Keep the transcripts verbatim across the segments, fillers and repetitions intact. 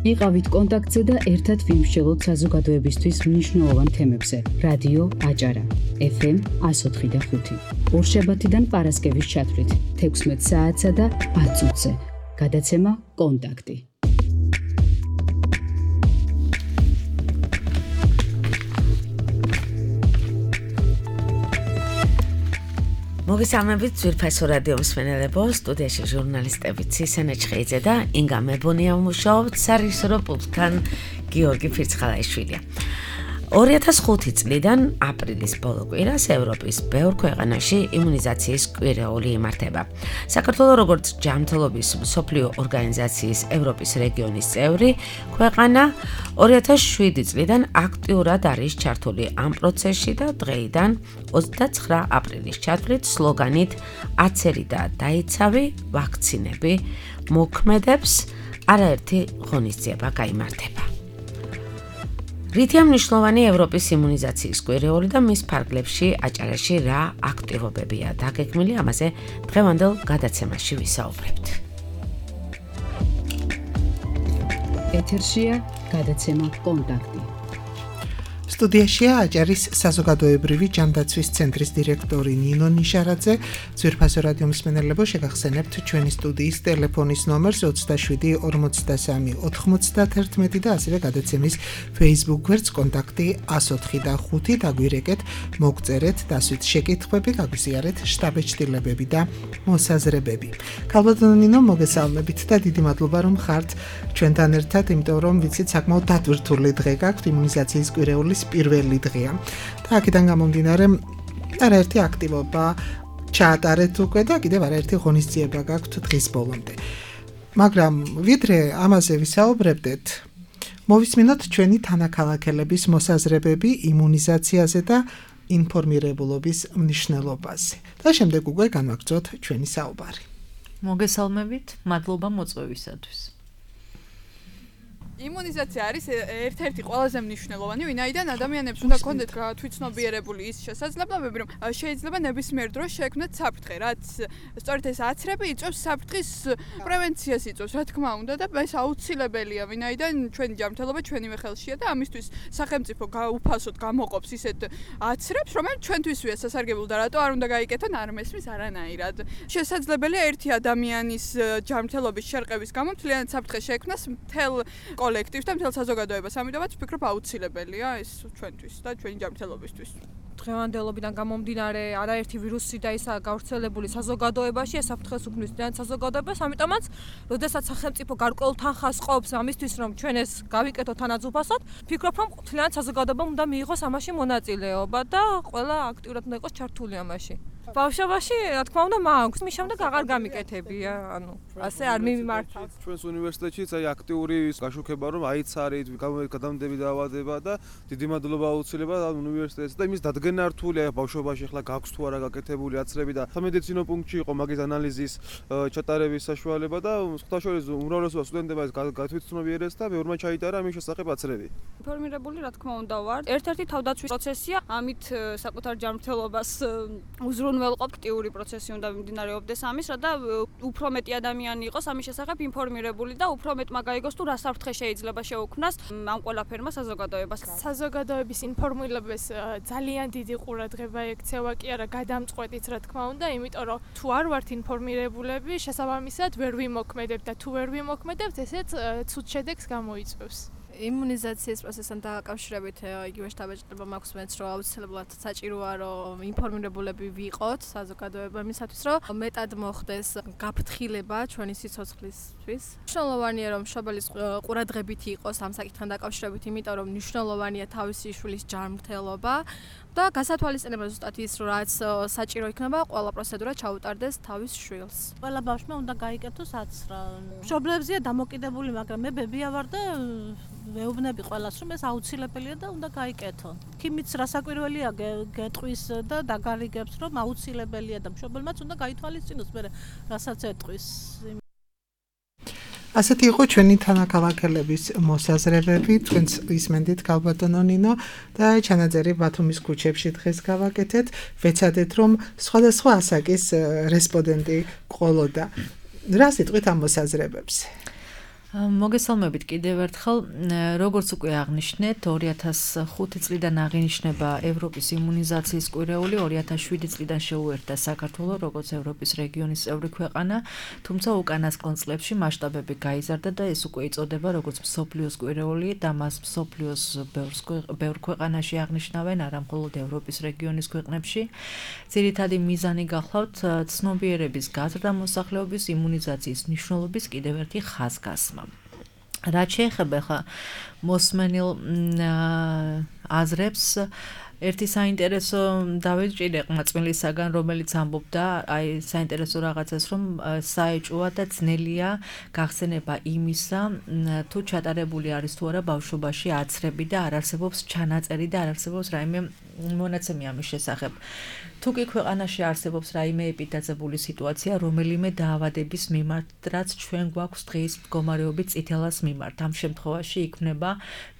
იყავით კონტაქტზე და ერთად ვიმსჯელოთ საზოგადოებისთვის მნიშვნელოვან თემებზე. რადიო აჭარა, ეფ ემ εκατო ოთხი და ხუთი. ორშაბათიდან პარასკევის ჩათვლით, თექვსმეტ საათსა და ათ წუთზე. გადაცემა კონტაქტი. მოგესალმებით ძვირფასო რადიო მსმენელებო, სტუდიაში ჟურნალისტები ცისენე ჩხეიძე და ინგა მებონია ვმუშაობთ, სარისრო პულტთან გიორგი ფირცხალაიშვილია. ორი ათას ხუთი წლიდან აპრილის ბოლო კვირას ევროპის ბევრ ქვეყანაში იმუნიზაციის კვირეული იმართება. საქართველოს როგორც ჯანმრთელობის მსოფლიო ორგანიზაციის ევროპის რეგიონის წევრი ქვეყანა ორი ათას შვიდი წლიდან აქტიურად არის ჩართული ამ პროცესში და დღეიდან ოცდაცხრა აპრილის ჩათვლით სლოგანით აცერი და დაიცავი ვაქცინები მოქმედებს არაერთი ღონისძიება გაიმართება. რითია მნიშვნელოვანი ევროპის იმუნიზაციის კვირეული და მის ფარგლებში აჭარაში რა აქტივობებია დაგეგმილი, ამაზე დღევანდელ გადაცემაში ვისაუბრებთ. ეთერშია გადაცემა კონტაქტი. სტუდიაშია აჭარის საზოგადოებრივი ჯანდაცვის ცენტრის დირექტორი ნინო ნიშარაძე. ძვირფასო რადიო მსმენელებო, შეგახსენებთ ჩვენი სტუდიის ტელეფონის ნომერს ოცდაშვიდი ორმოცდასამი ოთხმოცდათერთმეტი და ასევე გადაცემის Facebook გვერდს კონტაქტი εκατო ოთხი და ხუთი. დაგვირეკეთ, მოგწერეთ, დასვით შეკითხვები, გაგვიზიარეთ შტაბეჭდილებები და მოსაზრებები. ქალბატონო ნინო, მოგესალმებით და დიდი მადლობა რომ ხართ ჩვენთან ერთად, იმიტომ რომ ვიცით საკმაოდ დატვირთული დღე გაქვთ, იმუნიზაციის კვირეულის პირველი დღეა. და აქედან გამომდინარე არაერთი აქტივობა ჩაატარეთ უკვე და კიდევ არაერთი ღონისძიება გაქვთ დღის ბოლომდე. მაგრამ ვიდრე ამაზე ვისაუბრებდეთ, მოვისმინოთ ჩვენი თანაქალაქელების მოსაზრებები იმუნიზაციაზე და ინფორმირებულობის მნიშვნელობაზე. და შემდეგ უკვე განვაგრძოთ ჩვენი საუბარი. მოგესალმებით, მადლობა მოწვევისათვის. იმუნიზაცია არის ერთ-ერთი ყველაზე მნიშვნელოვანი, ვინაიდან ადამიანებს უნდა კონდეთ თვითცნობიერებული ის შესაძლებლობები, რომ შეიძლება ნებისმიერ დროს შეექმნათ საფრთხე, რაც სწორედ ეს აცრები იწვევს საფრთხის პრევენციას იწვევს, რა თქმა უნდა, და ეს აუცილებელია, ვინაიდან ჩვენი ჯანმრთელობა ჩვენივე ხელშია და ამისთვის სახელმწიფო უფასოდ გამოყოფს ისეთ აცრებს, რომელიც ჩვენთვისვეა სასარგებლო და რატო არ უნდა გაიკეთონ, არ მესმის არანაირად. შესაძლებელია ერთი ადამიანის ჯანმრთელობის შერყევის გამო მთლიანად საფრთხე შეექმნას მთელ კოლექტივს და მთელ საზოგადოებას, ამიტომაც ვფიქრობ აუცილებელია ეს ჩვენთვის და ჩვენი ჯანმრთელობისთვის. დღევანდელობიდან გამომდინარე არაერთი ვირუსი და ისა გავრცელებული საზოგადოებაში ეს საფრთხეს უქმნის ძალიან საზოგადოებას, ამიტომაც როდესაც სახელმწიფო გარკვეულ თანხას ყოფს ამისთვის, რომ ჩვენ ეს გავიკეთოთ თანაძუფასად, ვფიქრობ, რომ მთლიანად საზოგადოებამ უნდა მიიღოს ამაში მონაწილეობა და ყველა აქტიურად უნდა იყოს ჩართული ამაში. ბავშვობაში, რა თქმა უნდა, მაქვს, მის შემდეგ აღარ გამიკეთებია, ანუ ასე არ მიმართავ. ჩვენს უნივერსიტეტშიც აი აქტიური გაშუქება, რომ აიცარით, გადამდები დაავადება და დიდი მადლობა აუცილებლად ამ უნივერსიტეტს და იმის დადგენა რთულია ბავშვობაში, ახლა გაქვს თუ არა გაკეთებული აცრები და სამედიცინო პუნქტში იყო მაგის ანალიზის ჩატარების საშუალება და სხვათაშორის უმრავლესობა სტუდენტებმა გათვითცნობიერეს და ბევრმა ჩაიტარა ამის შესახებ აცრები. ინფორმირებული, რა თქმა უნდა, ვარ. ერთ-ერთი თავდაცვის პროცესია, ამით საკუთარ ჯანმრთელობას უზრუნველყოფ აქტიური პროცესი უნდა მიმდინარეობდეს ამის, რა და უფრო მეტი ადამიანი იყოს ამის შესახებ ინფორმირებული და უფრო მეტმა გაიგოს თუ რა საფრთხე შეიძლება შეუქმნას ამ ყველაფერმა საზოგადოებას. საზოგადოების ინფორმირებას ძალიან დიდი ყურადღება ექცევა კი არა გადამწყვეტიც, რა თქმა უნდა, იმიტომ რომ თუ არ ვართ ინფორმირებულები, შესაბამისად ვერ ვიმოქმედებთ და თუ ვერ ვიმოქმედებთ, ესეც ცუდ შედეგს გამოიწვევს. იმუნიზაციის პროცესთან დაკავშირებით იგივე შტაბეჭდილება მაქვს მეც, რომ აუცილებლად საჭიროა, რომ ინფორმირებულები ვიყოთ საზოგადოება იმისათვის, რომ მეტად მოხდეს გაფრთხილება ჩვენი სიცოცხლისთვის. მნიშვნელოვანია, რომ მშობელის ყურადღებით იყოს ამ საკითხთან დაკავშირებით, იმიტომ რომ მნიშვნელოვანია თავისი შვილის ჯანმრთელობა და გასათვალისწინებელია ზუსტად ის, რაც საჭირო იქნება ყველა პროცედურა ჩაუტარდეს თავის შვილს. ყველა ბავშვმა უნდა გაიკეთოს აცრა. მშობლებზეა დამოკიდებული, მაგრამ მე ბებია ვარ და ვეუბნები ყველას, რომ ეს აუცილებელია და უნდა გაიკეთონ. ქიმიც რასაკვირველია გეტყვის და დაგარიგებს, რომ აუცილებელია და მშობელმაც უნდა გაითვალისწინოს მე რასაც ეტყვის. ასეთი იყო ჩვენი თანაქალაქელების მოსაზრებები, თქვენც ისმენდით ქალბატონო ნინო და ჩანაწერი ბათუმის ქუჩებში დღეს გავაკეთეთ. ვეცადეთ, რომ სხვადასხვა ასაკის რესპონდენტი ყოლოდა. რა სიტყვით ამ მოსაზრებებზე? მოგესალმებით კიდევ ერთხელ. როგორც უკვე აღნიშნეთ, ორი ათას ხუთი წლიდან აღინიშნება ევროპის იმუნიზაციის კვირეული, ორი ათას შვიდი წლიდან შეუერთდა საქართველო როგორც ევროპის რეგიონის წევრი ქვეყანა, თუმცა უკანასკნელ წლებში მასშტაბები გაიზარდა და ეს უკვე იწოდება როგორც მსოფლიოს კვირეული და მას მსოფლიოს ბევრ ქვეყანაში აღნიშნავენ, არა მხოლოდ ევროპის რეგიონის ქვეყნებში. ძირითადი მიზანი გახლავთ ცნობიერების გაზრდა მოსახლეობის იმუნიზაციის მნიშვნელობის კიდევ ერთი ხაზგასმა. რაც შეეხება ხა მოსმენილ აზრებს ერთი საინტერესო დავიჭირე ყმაწვილისაგან, რომელიც ამბობდა აი საინტერესო რაღაცას, რომ საეჭვოა და ძნელია გახსენება იმისა, თუ ჩატარებული არის თუ არა ბავშვობაში აცრები და არ არსებობს ჩანაწერი და არ არსებობს რაიმე მონაცემი ამის შესახებ. თუ კი ქვეყანაში არსებობს რაიმე ეპიდემიოლოგიური სიტუაცია, რომელიმე დაავადების მიმართ, რაც ჩვენ გვაქვს დღის მდგომარეობით წითელას მიმართ, ამ შემთხვევაში იქნება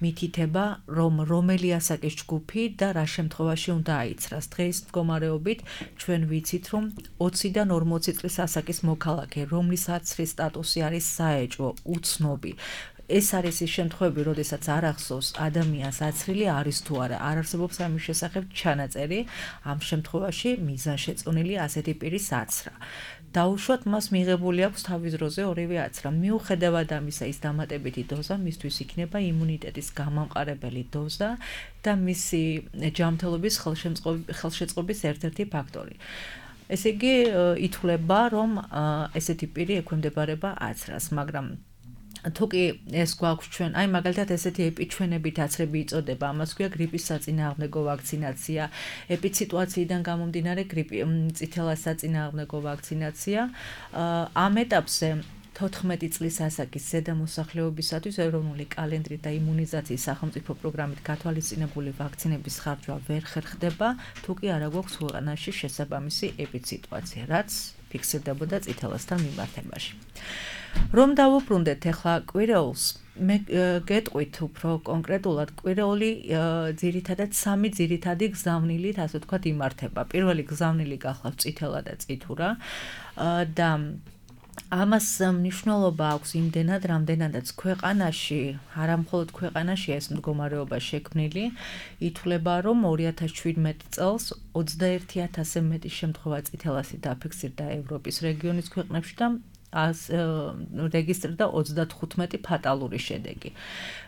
მითითება, რომ რომელი ასაკის ჯგუფი და რა შემთხვევაში უნდა აიცრას. დღის მდგომარეობით ჩვენ ვიცით, რომ ოციდან ორმოცი წლის ასაკის მოქალაქე, რომლის აცრის სტატუსი არის საეჭვო, უცნობი. ეს არის ის შემთხვევები, როდესაც არ ახსოვს ადამიანს აცრილი არის თუ არა, არ არსებობს ამის შესახებ ჩანაწერი, ამ შემთხვევაში მიზანშეწონილი ასეთი პირის აცრა. დაუშვათ მას მიღებული აქვს თავის დროზე ორივე აცრა. მიუხედავად ამისა, ის დამატებითი დოზა მისთვის იქნება იმუნიტეტის გამამყარებელი დოზა და მისი ჯანმრთელობის ხელშეწყობის ერთ-ერთი ფაქტორი. ესე იგი, ითვლება, რომ ესეთი პირი ექვემდებარება აცრას, მაგრამ თუ კი ეს გვაქვს ჩვენ, აი მაგალითად ესეთი ეპიჩვენებით აცრები იწოდება, ამას ქვია გრიპის საწინააღმდეგო ვაქცინაცია, ეპიციტუაციიდან გამომდინარე გრიპი წითელას საწინააღმდეგო ვაქცინაცია. ამ ეტაპზე თოთხმეტი წლის ასაკის ზედა მოსახლეობისათვის ეროვნული კალენდრით და იმუნიზაციის სახელმწიფო პროგრამით გათვალისწინებული ვაქცინების ხარჯვა ვერ ხერხდება, თუ კი არა გვაქვს ქვეყანაში შესაბამისი ეპიციტუაცია, რაც ფიქსირდებოდა წითელასთან მიმართებაში. რომ დავუბრუნდეთ ახლა კვირეულს, მე გეტყვით უფრო კონკრეტულად, კვირეული ძირითადად სამი ძირითადი გზავნილით, ასე ვთქვათ, იმართება. პირველი გზავნილი გახლავთ წითელა და წითურა და ამას მნიშვნელობა აქვს იმდენად, რამდენადაც ქვეყანაში, არა მხოლოდ ქვეყანაში ეს მდგომარეობა შექმნილი, ითვლება, რომ ორი ათას შვიდმეტი წელს ოცდაერთი ათასზე მეტი შემთხვევა წითელასი დაფიქსირდა ევროპის რეგიონის ქვეყნებში და რეგისტრირდა ოცდათხუთმეტი ფატალური შედეგი.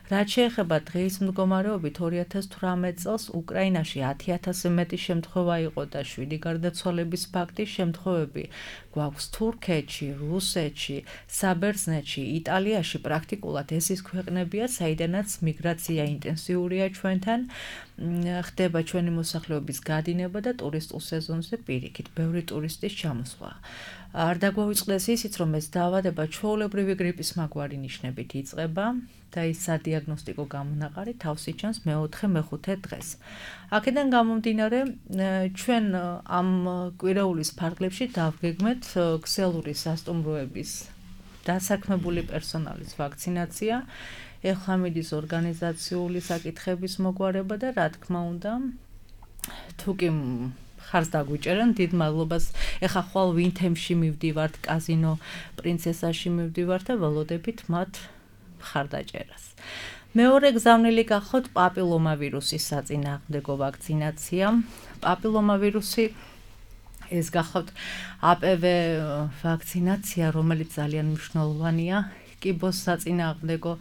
რაც შეეხება დღის მდგომარეობით ორი ათას თვრამეტ წელს უკრაინაში ათი ათასზე მეტი შემთხვევა იყო და შვიდი გარდაცვალების ფაქტი. შემთხვევები გვაქვს თურქეთში, რუსეთში, საბერძნეთში, იტალიაში, პრაქტიკულად ეს ის ქვეყნებია, საიდანაც მიგრაცია ინტენსიურია ჩვენთან, ხდება ჩვენი მოსახლეობის გადინება და ტურისტულ სეზონზე პირიქით, ბევრი ტურისტის ჩამოსვლა. არ დაგვაუწყდეს ისიც, რომ ეს დაავადება ჩვეულებრივი გრიპის მაგვარი ნიშნებით იწყება და ის სადიაგნოსტიკო გამონაყარი თავს იჩენს მეოთხე მეხუთე დღეს. აქედან გამომდინარე, ჩვენ ამ კვირეულის ფარგლებში დავგეგმეთ ქსელური სასტუმროების დასაქმებული პერსონალის ვაქცინაცია, ეხლა მიდის ორგანიზაციული საკითხების მოგვარება და რა თქმა უნდა, თუ კი ხარს დაგვიჭერენ, დიდ მადლობას. ეხა ხვალ ვინთემში მივდივართ, კაზინო პრინცესაში მივდივართ და ველოდებით მათ მხარდაჭერას. მეორე გზავნილი გახლავთ პაპილომავირუსის საწინააღმდეგო ვაქცინაცია. პაპილომავირუსი ეს გახლავთ ა პ ვ ვაქცინაცია, რომელიც ძალიან მნიშვნელოვანია კიბოს საწინააღმდეგო.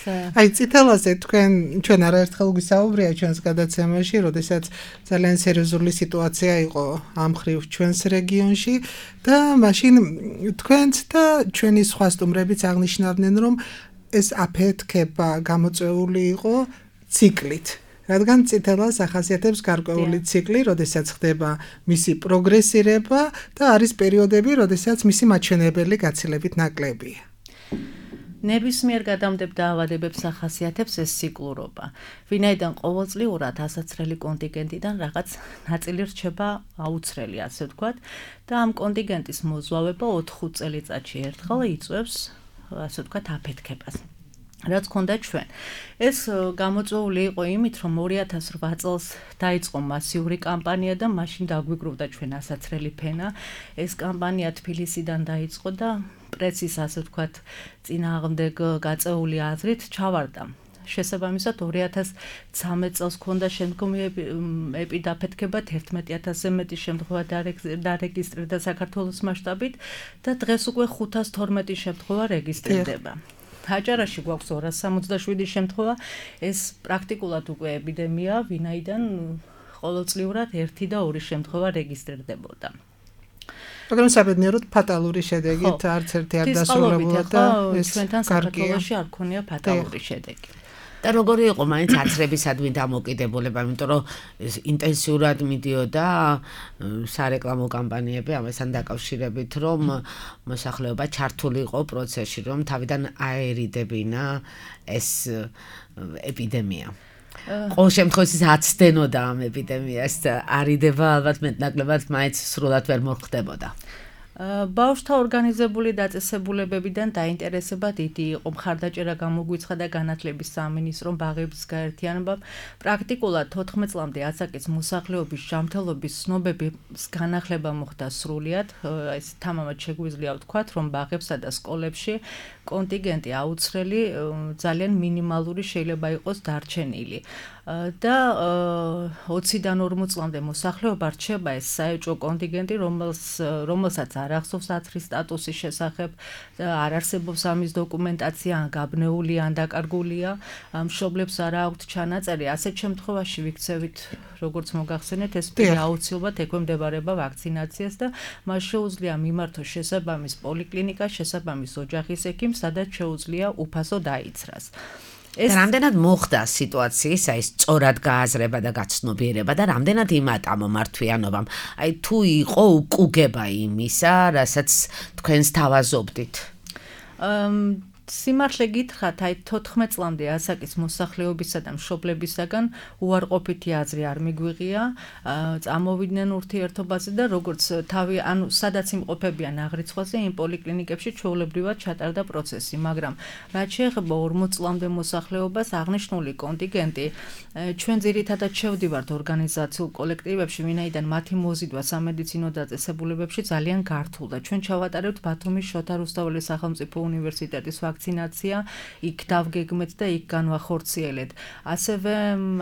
აი წითელაზე თქვენ ჩვენ არაერთხელ გვისაუბრია ჩვენს გადაცემაში, როდესაც ძალიან სერიოზული სიტუაცია იყო ამ ხრივ ჩვენს რეგიონში და მაშინ თქვენც და ჩვენი სხვა სტუმრებიც აღნიშნავდნენ, რომ ეს აფეთქება გამოწვეული იყო ციკლით. რადგან წითელას ახასიათებს გარკვეული ციკლი, როდესაც ხდება მისი პროგრესირება და არის პერიოდები, როდესაც მისი მაჩვენებელი გაცილებით ნაკლებია. ნებისმიერ გადამდებელ დაავადებებს ახასიათებს ეს ციკლურობა. ვინაიდან ყოველწლიურად ასაცრელი კონტინგენტიდან რაღაც ნაწილი რჩება აუცრელი, ასე ვთქვათ, და ამ კონტინგენტის მოზვავება ოთხ წელიწადში ერთხელ იწვევს, ასე ვთქვათ, აფეთქებას. რაც ქონდა ჩვენ. ეს გამოწვეული იყო იმით, რომ ორი ათას რვა წელს დაიწყო მასიური კამპანია და მაშინ დაგვიგროვდა ჩვენ ასაცრელი ფენა. ეს კამპანია თბილისიდან დაიწყო და პრესის ასე ვთქვათ წინააღმდეგ გაწეული აზრით ჩავარდა. შესაბამისად ორი ათას ცხრამეტ წელს ქონდა შემდგომი ეპიდაფეთქება თერთმეტი ათასზე მეტი შემთხვევა დარეგისტრირდა საქართველოს მასშტაბით და დღეს უკვე ხუთას თორმეტი შემთხვევა რეგისტრირდება. აჭარაში გვაქვს ორას სამოცდაშვიდი შემთხვევა, ეს პრაქტიკულად უკვე ეპიდემია, ვინაიდან ყოველწლიურად ერთი და ორი შემთხვევა რეგისტრირდებოდა. მაგრამ საბედნიეროდ ფატალური შედეგით არც ერთი არ დასრულებულა და ეს ჩვენთან საქართველოში არ ქონია ფატალური შედეგი. და როგორი იყო მაინც აცრებისადმი დამოკიდებულება, იმიტომ რომ ინტენსიურად მიდიოდა სარეკლამო კამპანიები ამასთან დაკავშირებით, რომ მოსახლეობა ჩართული იყო პროცესში, რომ თავიდან აერიდებინა ეს ეპიდემია. ყოველ შემთხვევაში აცდენოდა ამ ეპიდემიას, არიდება ალბათ მეტნაკლებად მაინც სრულად ვერ მოხდებოდა. ბავშვთა ორგანიზებული დაწესებულებებიდან დაინტერესება დიდი იყო. მხარდაჭერა გამოგვიცხადა და განათლების სამინისტრომ ბაღების გაერთიანებამ პრაქტიკულად თოთხმეტ წლამდე ასაკის მოსახლეობის ჯანმრთელობის ცნობების განახლება მოხდა სრულად. ეს თამამად შეგვიძლია ვთქვათ, რომ ბაღებსა და სკოლებში კონტინგენტი აუცხრელი ძალიან მინიმალური შეიძლება იყოს დარჩენილი. და ოციდან ორმოც წლამდე მოსახლეობა რჩება ეს საეჭვო კონტინგენტი, რომელსაც არ ახსოვს აცრის სტატუსის შესახებ, არ არსებობს ამის დოკუმენტაცია, ან გაბნეულია, ან დაკარგულია, მშობლებს არ აქვთ ჩანაწერი. ასეთ შემთხვევაში ვიქცევით, როგორც მოგახსენეთ, ეს პირი აუცილებლად ექვემდებარება ვაქცინაციას და მას შეუძლია მიმართოს შესაბამის პოლიკლინიკა, შესაბამის ოჯახის ექიმს, სადაც შეუძლია უფასო დაიცრას. ეს რამდენად მოხდა სიტუაციის აი სწორად გააზრება და გაცნობიერება და რამდენად იმატა მომართვიანობამ. აი თუ იყო უკუგება იმისა, რასაც თქვენს თავაზობდით. სიმართლე გითხრათ, აი თოთხმეტ წლამდე ასაკის მოსახლეობისა და მშობლებისაგან უარყოფითი აზრი არ მიგვიღია, წამოვიდნენ ურთიერთობაზე და როგორც თავი, ანუ სადაც იმყოფებიან აღრიცხვაზე, იმ პოლიკლინიკებში ჩვეულებრივად ჩატარდა პროცესი, მაგრამ რაც შეეხება ორმოც წლამდე მოსახლეობას, აღნიშნული კონტინგენტი ჩვენ ძირითადად შევდივართ ორგანიზაციულ კოლექტივებში, ვინაიდან მათი მოზიდვა სამედიცინო დაწესებულებებში ძალიან გართულდა. ჩვენ ჩავატარებთ ბათუმის შოთა რუსთაველის სახელმწიფო უნივერსიტეტის ვაქცინაცია, იქ დავგეგმეთ და იქ განვახორციელეთ. ასევე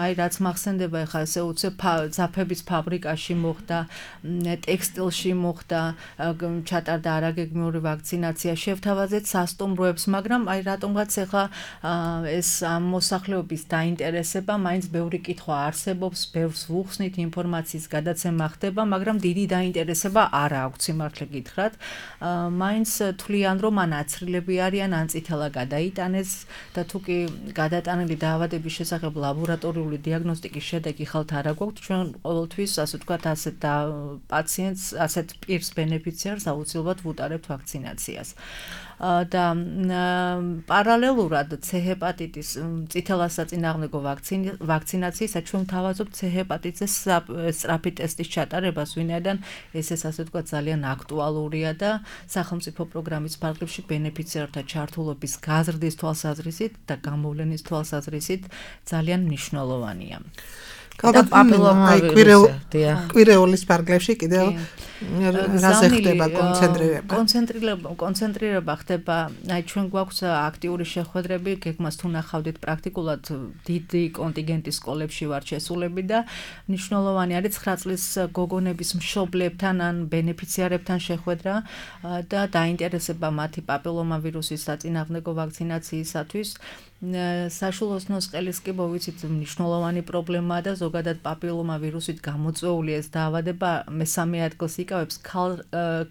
აი რაც მახსენდება, ეხლა ესე უცებ ძაფების ფაბრიკაში მოხდა, ტექსტილში მოხდა, ჩატარდა არაგეგმიური ვაქცინაცია, შევთავაზეთ სასტუმროებს, მაგრამ აი რატომღაც ეხლა ეს მოსახლეობის დაინტერესება, მაინც ბევრი კითხვა არსებობს, ბევრს ვუხსნით, ინფორმაციის გადაცემა ხდება, მაგრამ დიდი დაინტერესება არ აქვს, სიმართლე გითხრათ. მაინც თვლიან, რომ ან აცრილები არიან, ან წითელა გადაიტანეს და თუ კი გადატანილი დაავადების შესახებ ლაბორატორიული დიაგნოსტიკის შედეგი ხალთ არ აგვაქვს, ჩვენ ყოველთვის ასე ვთქვათ, ასეთ პაციენტს, ასეთ პირს ბენეფიციარს აუცილებლად ვუტარებთ ვაქცინაციას. და პარალელურად C ჰეპატიტის წითელა საწინააღმდეგო ვაქცინაციისა ჩვენ თავაზობთ C ჰეპატიტის სწრაფი ტესტის ჩატარებას, ვინაიდან ეს ეს ასე ვთქვათ ძალიან აქტუალურია და სახელმწიფო პროგრამის ფარგლებში ბენეფიციართა ჩართულობის გაზრდის თვალსაზრისით და გამოვლენის თვალსაზრისით ძალიან მნიშვნელოვანია. ალბათ პაპილომავირუსი კვირეულის ფარგლებში კიდევ რაზე ხდება კონცენტრირება? კონცენტრირება, კონცენტრირება ხდება, აი ჩვენ გვაქვს აქტიური შეხვედრები, გეგმას თუ ნახავდით პრაქტიკულად დიდი კონტინგენტის სკოლებში ვართ შესულები და მნიშვნელოვანი არის ცხრა წლის გოგონების მშობლებთან ან ბენეფიციარებთან შეხვედრა და დაინტერესება მათი პაპილომავირუსის საწინააღმდეგო ვაქცინაციისათვის. საშუალო სკელის კი მოვიცით მნიშვნელოვანი პრობლემაა და ზოგადად პაპილომავირუსით გამოწვეული ეს დაავადება მესამე ადგილს იკავებს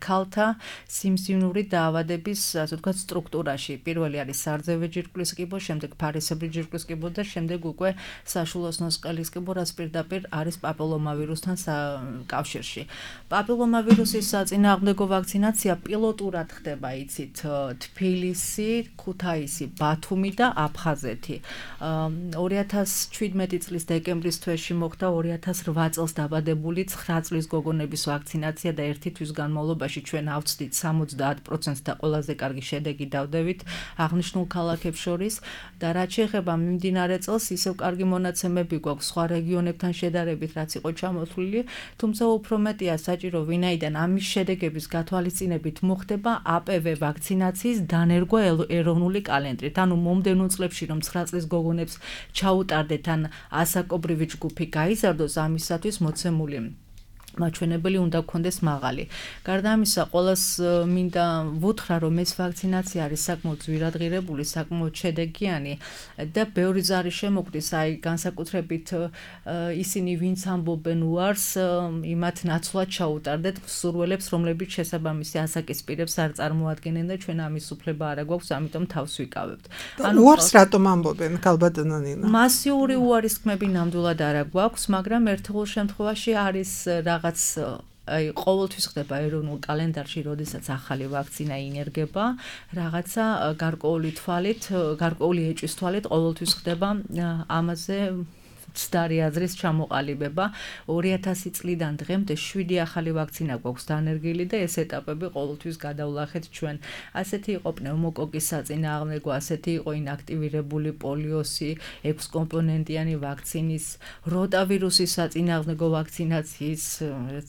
ქალთა სიმსივნური დაავადების, ასე ვთქვათ, სტრუქტურაში. პირველი არის სარძევე ჯირკვლის კიბო, შემდეგ ფარისებრი ჯირკვლის კიბო და შემდეგ უკვე საშუალო სკელის კიბო, რაც პირდაპირ არის პაპილომავირუსთან კავშირში. პაპილომავირუსის საწინააღმდეგო ვაქცინაცია პილოტურად ხდება, იცით, თბილისი, ქუთაისი, ბათუმი და აფხაზეთი. ორი ათას ჩვიდმეტი წლის დეკემბრის თვეში ნოემბერში მოხდა ორი ათას რვა წელს დაბადებული ცხრა წლის გოგონების ვაქცინაცია და ერთი თვის განმავლობაში ჩვენ ავწდით სამოცდაათ პროცენტს და ყველაზე კარგი შედეგი დავდებით აღნიშნულ ქალაქებს შორის და რაც შეეხება მიმდინარე წელს ისევ კარგი მონაცემები გვაქვს სხვა რეგიონებთან შედარებით რაც იყო ჩამოთვლილი თუმცა უფრო მეტია საჭირო ვინაიდან ამის შედეგების გათვალისწინებით მოხდება A P V ვაქცინაციის დანერგვა ეროვნული კალენდრით ანუ მომდევნო წლებში რომ ცხრა წლის გოგონებს ჩაუტარდეთ ან ასაკობრივი ჯგუფი გაიზარდოს ამისათვის მოცემული მაჩვენებელი უნდა გქონდეს მაღალი. გარდა ამისა, ყოველს მინდა ვუთხრა, რომ ეს ვაქცინაცია არის საკმაოდ ძვირადღირებული, საკმაოდ შედეგიანი და ბევრი ზარი შემოგვდის, აი განსაკუთრებით ისინი, ვინც ამბობენ უარს, იმათ ნაცვლად ჩაუტარდეთ მსურველებს, რომლებიც შესაბამისი ასაკის პირებს არ წარმოადგენენ და ჩვენ ამის უფლება არ გვაქვს, ამიტომ თავს ვიკავებთ. ანუ უარს რატომ ამბობენ, ქალბატონო ნინა? მასიური უარისქმები ნამდვილად არ გვაქვს, მაგრამ ერთეულ შემთხვევაში არის რაღაც აი ყოველთვის ხდება ეროვნულ კალენდარში, როდესაც ახალი ვაქცინა ინერგება, რაღაცა გარკვეული თვალით, გარკვეული ეჭვის თვალით ყოველთვის ხდება ამაზე ცდარი აზრის ჩამოყალიბება. ორი ათასი წლიდან დღემდე შვიდი ახალი ვაქცინა გვაქვს დანერგილი და ეს ეტაპები ყოველთვის გადავლახეთ ჩვენ. ასეთი იყო პნევმოკოკის საწინააღმდეგო, ასეთი იყო ინაქტივირებული პოლიოსი, ექვს კომპონენტიანი ვაქცინის, როტავირუსის საწინააღმდეგო ვაქცინაციის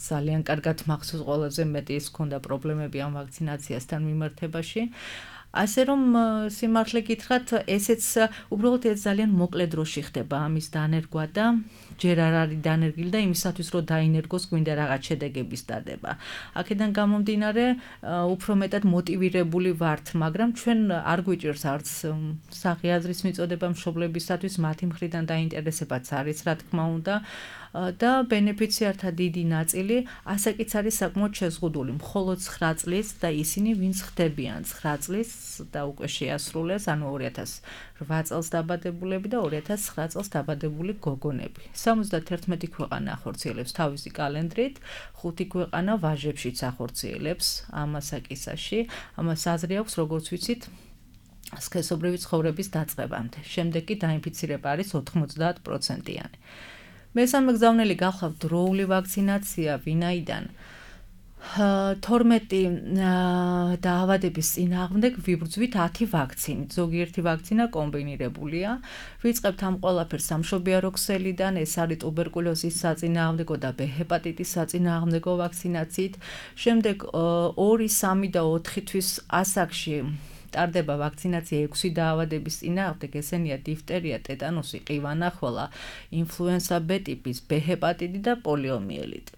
ძალიან კარგად მახსოვს, ყველაზე მეტი ის ჰქონდა პრობლემები ამ ვაქცინაციასთან მიმართებაში. ასე რომ სიმართლე გითხრათ, ესეც უბრალოდ ეს ძალიან მოკლე დროში ხდება ამის დანერგვა და ჯერ არ არის დანერგილი და იმისათვის რომ დაინერგოს გვინდა რაღაც შედეგების დადება. აქედან გამომდინარე, უფრო მეტად მოტივირებული ვართ, მაგრამ ჩვენ არ გვიჭირს არც სახი აზრის მიწოდება მშობლებისათვის, მათი მხრიდან დაინტერესებაც არის, რა თქმა უნდა. და ბენეფიციართა დიდი ნაწილი ასაკიც არის საკმაოდ შეზღუდული, მხოლოდ ცხრა წლის და ისინი ვინც ხდებიან ცხრა წლის და უკვე შეასრულეს, ანუ ორი ათას რვა წელს დაბადებულები და ორი ათას ცხრა წელს დაბადებული გოგონები. სამოცდაათი ქვეყანა ახორციელებს თავისი კალენდრით, ხუთი ქვეყანა ვაჟებშიც ახორციელებს ამ ასაკისაში. ამას აზრი აქვს, როგორც ვიცით, სქესობრივი ცხოვრების დაწყებამდე. შემდეგ კი დაინფიცირება არის ოთხმოცდაათ პროცენტიანი. მესამე გზავნილი გახლავთ დროული ვაქცინაცია, ვინაიდან თორმეტი დაავადების წინააღმდეგ ვიბრძვით ათი ვაქცინით. ზოგიერთი ვაქცინა კომბინირებულია. ვიწყებთ ამ ყველაფერს სამშობიარო ქსელიდან, ეს არის ტუბერკულოზის საწინააღმდეგო და ბ ჰეპატიტის საწინააღმდეგო ვაქცინაციით. შემდეგ ორი, სამი და ოთხი თვის ასაკში ტარდება ვაქცინაცია ექვსი დაავადების წინააღმდეგ, ესენია დიფტერია, ტეტანუსი, ყივანახველა, ინფლუენსა B ტიპის, B ჰეპატიტი და პოლიომიელიტი.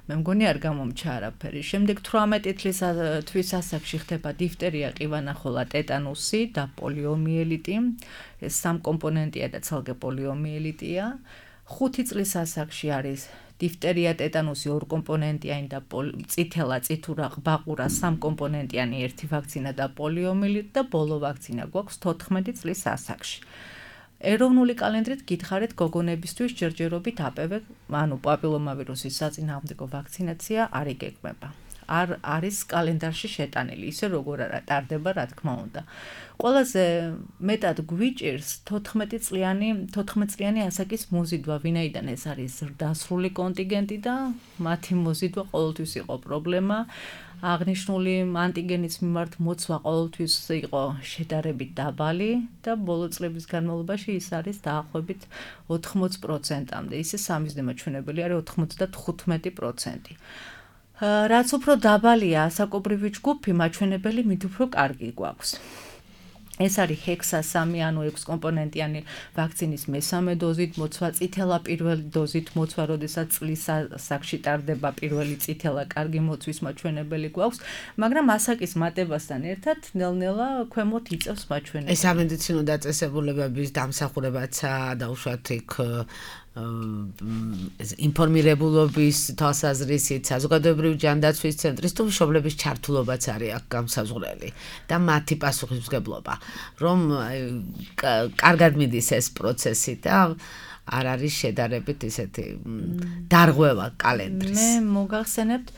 მე მგონი არ გამომჩა არაფერი. შემდეგ თვრამეტი თვის ასაკში ხდება დიფტერია, ყივანახველა, ტეტანუსი და პოლიომიელიტი. ეს სამკომპონენტია და ცალკე პოლიომიელიტია. ხუთი წლის ასაკში არის დიფტერია, ტეტანუსი, ორკომპონენტიანი და წითელა, წითურა, ყბაყურა, სამკომპონენტიანი ერთი ვაქცინა და პოლიომიელიტი და ბოლო ვაქცინა გვაქვს თოთხმეტი წლის ასაკში. ეროვნული კალენდრით გითხარით გოგონებისთვის ჯერჯერობით A P V, ანუ პაპილომავირუსის საწინააღმდეგო ვაქცინაცია არ იგეგმება. არ არის კალენდარში შეტანილი, ისე როგორ არა ტარდება, რა თქმა უნდა. ყველაზე მეტად გვიჭირს თოთხმეტი წლიანი, თოთხმეტ წლიანი ასაკის მოზიდვა, ვინაიდან ეს არის ზრდასრული კონტინგენტი და მათი მოზიდვა ყოველთვის იყო პრობლემა. აღნიშნული ანტიგენის მიმართ მოცვა ყოველთვის იყო შედარებით დაბალი და ბოლო წლების განმავლობაში ის არის დაახლოებით ოთხმოცი პროცენტამდე. ისე სამიზნე მაჩვენებელი არის ოთხმოცდათხუთმეტი პროცენტი. რაც უფრო დაბალია ასაკობრივი ჯგუფი, მაჩვენებელი მით უფრო კარგი გვაქვს. ეს არის ჰექსა სამი, ანუ ექვს კომპონენტიანი ვაქცინის მესამე დოზით მოცვა, წითელა პირველი დოზით მოცვა, როდესაც წლის ასაკში ტარდება პირველი წითელა, კარგი მოცვის მაჩვენებელი გვაქვს, მაგრამ ასაკის მატებასთან ერთად ნელ-ნელა ქვემოთ იწევს მაჩვენებელი. ეს სამედიცინო დაწესებულებების დამსახურებაცაა და უშუალოდ იქ ინფორმირებულობის თვალსაზრისით საზოგადოებრივი ჯანდაცვის ცენტრის თუ მშობლების ჩართულობაც არის აქ გამსაზღვრელი და მათი პასუხისმგებლობა, რომ კარგად მიდის ეს პროცესი და არ არის შედარებით ისეთი დარღვევა კალენდრის. მე მოგახსენებთ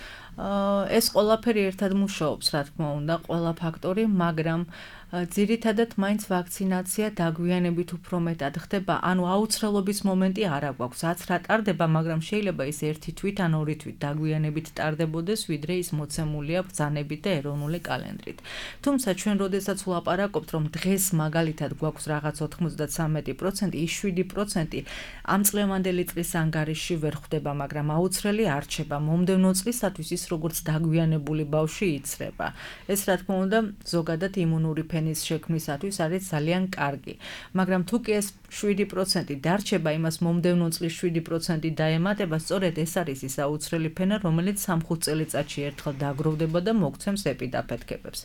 ეს ყველაფერი ერთად მუშაობს, რა თქმა უნდა, ყველა ფაქტორი, მაგრამ ძირითადად მაინც ვაქცინაცია დაგვიანებით უფრო მეტად ხდება, ანუ აუცილებლობის მომენტი არ აქვს, რაც რა ტარდება, მაგრამ შეიძლება ის ერთი თვით ან ორი თვით დაგვიანებით ტარდებოდეს, ვიდრე ის მოცემულია ბრძანებით და ეროვნული კალენდრით. თუმცა ჩვენ როდესაც ვლაპარაკობთ, რომ დღეს მაგალითად გვაქვს რაღაც ოთხმოცდათსამეტი პროცენტი, ის შვიდი პროცენტი ამ წლევანდელი წლის ანგარიშში ვერ ხვდება, მაგრამ აუცილებელი არ რჩება. მომდევნო წლისათვის ის როგორც დაგვიანებული ბავშვი იცრება. ეს რა თქმა უნდა ზოგადად იმუნური ფენის შექმნისათვის არის ძალიან კარგი. მაგრამ თუ კი ეს შვიდი პროცენტი დარჩება, იმას მომდევნო წლის შვიდი პროცენტი დაემატება, სწორედ ეს არის ის აუცილებელი ფენა, რომელიც სამხუთ წელიწადში ერთხელ დაგროვდება და მოგცემს ეპიდაფეთქებებს.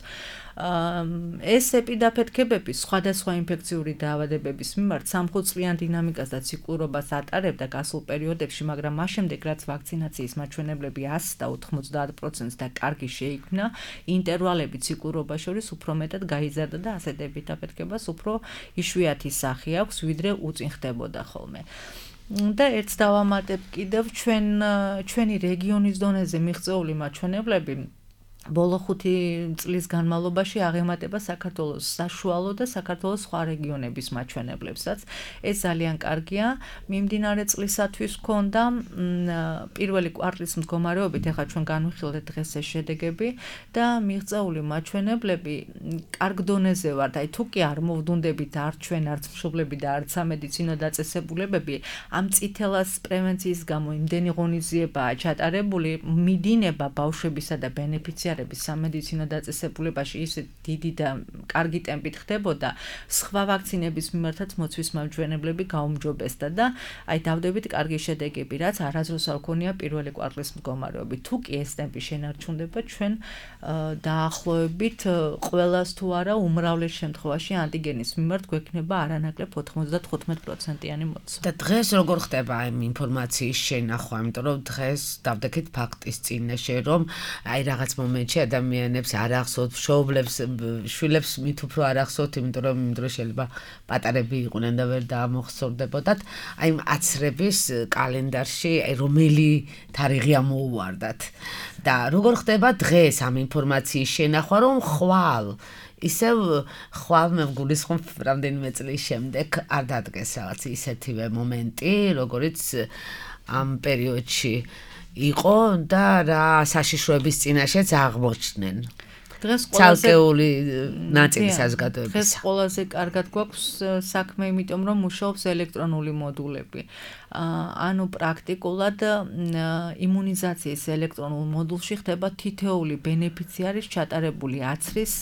ეს ეპიდაფეთქებები სხვადასხვა ინფექციური დაავადებების მიმართ სამხუთწლიან დინამიკას და ციკლურობას ატარებდა გასულ პერიოდებში, მაგრამ მას შემდეგ რაც ვაქცინაციის მაჩვენებლები ას და ოთხმოცდაათ პროცენტს და კარგი შეიქმნა, ინტერვალები ციკლურობას შორის უფრო მეტად გაიზარდა და ასეთ ეპიდაფეთქებას უფრო იშვიათი სახე აქვს, ვიდრე უწინ ხდებოდა ხოლმე. და ერთს დავამატებ კიდევ ჩვენ ჩვენი რეგიონის დონეზე მიღწეული მაჩვენებლები ბოლო ხუთი წლის განმავლობაში აღემატება საქართველოს საშუალო და საქართველოს სხვა რეგიონების მაჩვენებლებსაც. ეს ძალიან კარგია. მიმდინარე წლისათვის ჰქონდა პირველი კვარტლის მდგომარეობით, ეხლა ჩვენ განვიხილეთ დღეს ეს შედეგები და მიღწეული მაჩვენებლები კარგ დონეზე ვართ. აი თუ კი არ მოვდუნდებით არც ჩვენ, არც მშობლები და არც სამედიცინო დაწესებულებები, ამ წითელას პრევენციის გამო იმდენი ღონისძიებაა ჩატარებული, მიდინება ბავშვებისა და ბენეფიციარების სამედიცინო დაწესებულებაში ისე დიდი და კარგი ტემპით ხდებოდა, სხვა ვაქცინების მიმართაც მოცვის მაჩვენებლები გაუმჯობესდა და აი დავდებით კარგი შედეგები, რაც არასდროს არ ქონია პირველი კვარტლის მდგომარეობით. თუ კი ეს ტემპი შენარჩუნდება, ჩვენ დაახლოებით ყველას თუ არა უმრავლეს შემთხვევაში ანტიგენის მიმართ გვექნება არანაკლებ ოთხმოცდათხუთმეტ პროცენტიანი მოცვა. და დღეს როგორ ხდება ამ ინფორმაციის შენახვა, იმიტომ რომ დღეს დავდექით ფაქტის წინაშე, რომ აი რაღაც მომენტში ადამიანებს არ ახსოვთ, მშობლებს, შვილებს მით უფრო არ ახსოვთ, იმიტომ რომ იმ დროს შეიძლება პატარები იყვნენ და ვერ დაამოხსოვდებოდათ. აი იმ აცრების კალენდარში აი რომელი თარიღი ამოუვარდათ და როგორ ხდება დღეს ამ ინფორმაციის შენახვა, რომ ხვალ ისევ ხვალ მე გულისხმობ რამდენიმე წლის შემდეგ არ დადგეს რაღაც ისეთივე მომენტი, როგორიც ამ პერიოდში იყო და რა საშიშროების წინაშეც აღმოჩნდნენ. დღეს ცალკეული ნაწილი საზოგადოების. დღეს ყველაზე კარგად გვაქვს საქმე, იმიტომ რომ მუშაობს ელექტრონული მოდულები. ანუ პრაქტიკულად იმუნიზაციის ელექტრონულ მოდულში ხდება თითოეული ბენეფიციარის ჩატარებული აცრის